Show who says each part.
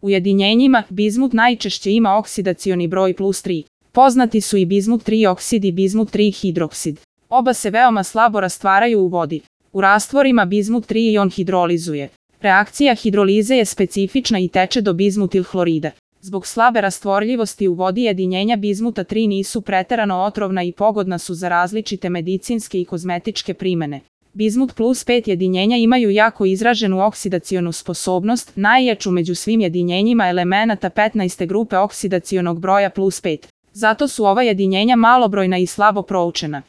Speaker 1: U jedinjenjima bizmut najčešće ima oksidacioni broj +3. Poznati su i bizmut 3 oksid i bizmut 3 hidroksid. Oba se veoma slabo rastvaraju u vodi. U rastvorima bizmut 3 ion hidrolizuje. Reakcija hidrolize je specifična i teče do bizmutil hlorida. Zbog slabe rastvorljivosti u vodi jedinjenja bizmuta 3 nisu preterano otrovna i pogodna su za različite medicinske i kozmetičke primene. Bizmut +5 jedinjenja imaju jako izraženu oksidacionu sposobnost, najjaču među svim jedinjenjima elemenata 15. grupe oksidacionog broja +5. Zato su ova jedinjenja malobrojna i slabo proučena.